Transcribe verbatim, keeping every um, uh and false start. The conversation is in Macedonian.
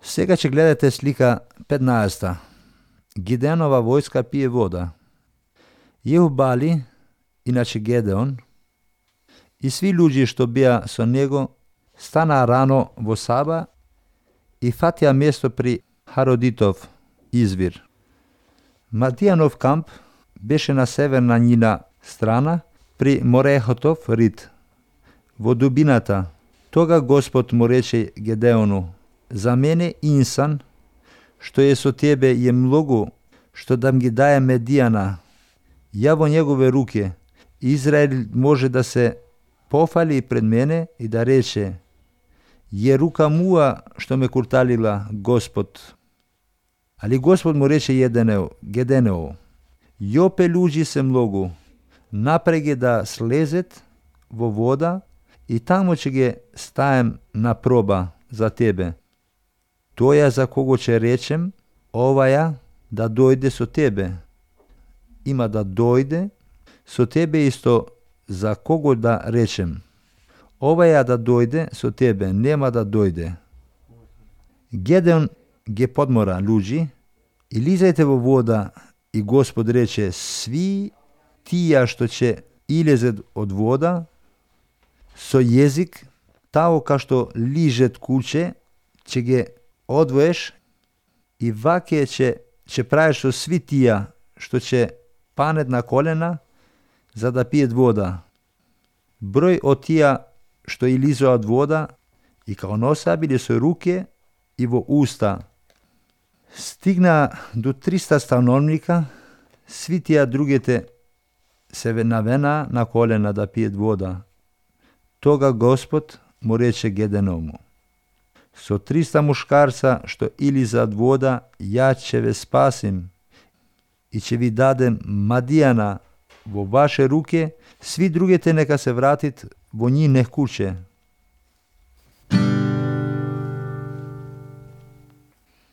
Сега ќе гледате слика петнаесета. Гидеонова војска пие вода. Јерубали, иначе Гедеон, и сви луѓе што беа со него станаа рано во саба и фатија место при Хародитов извир. Мадијанов камп беше на северна нина страна при Морехотов рид. Во дубината, тога Господ му рече Гедеону: за мене инсан, што е со тебе, е многу, што да ги дае Медијана. Ја во негове руке, Израел може да се пофали пред мене и да рече: е рука муа што ме курталила Господ. Али Господ му рече Једенео, Геденео: јопе луѓи се многу, напреге да слезет во вода и таму ќе ги стаем на проба за тебе. Тоја за кого ќе речем, оваја да дојде со тебе, има да дојде со тебе, исто за кого да речем, оваја да дојде со тебе, нема да дојде. Гедеон ги подмора луѓи: илизајте во вода, и Господ рече: сви тија што ќе илезет од вода, со језик, тао ка што лижет куче, ќе ги одвоеш, и ваке ќе, ќе правиш со сви тија што ќе панет на колена за да пиет вода. Број од тија што илизоат вода и као носа биле со руке и во уста. Стигна до триста становника, сви тија другите се навена на колена да пиет вода. Тога Господ му рече Геденому: со триста мушкарца што илизаат вода, ја ќе ве спасим и ќе ви дадем Мадијана во ваше руке, сви другите нека се вратит во нивне куќе.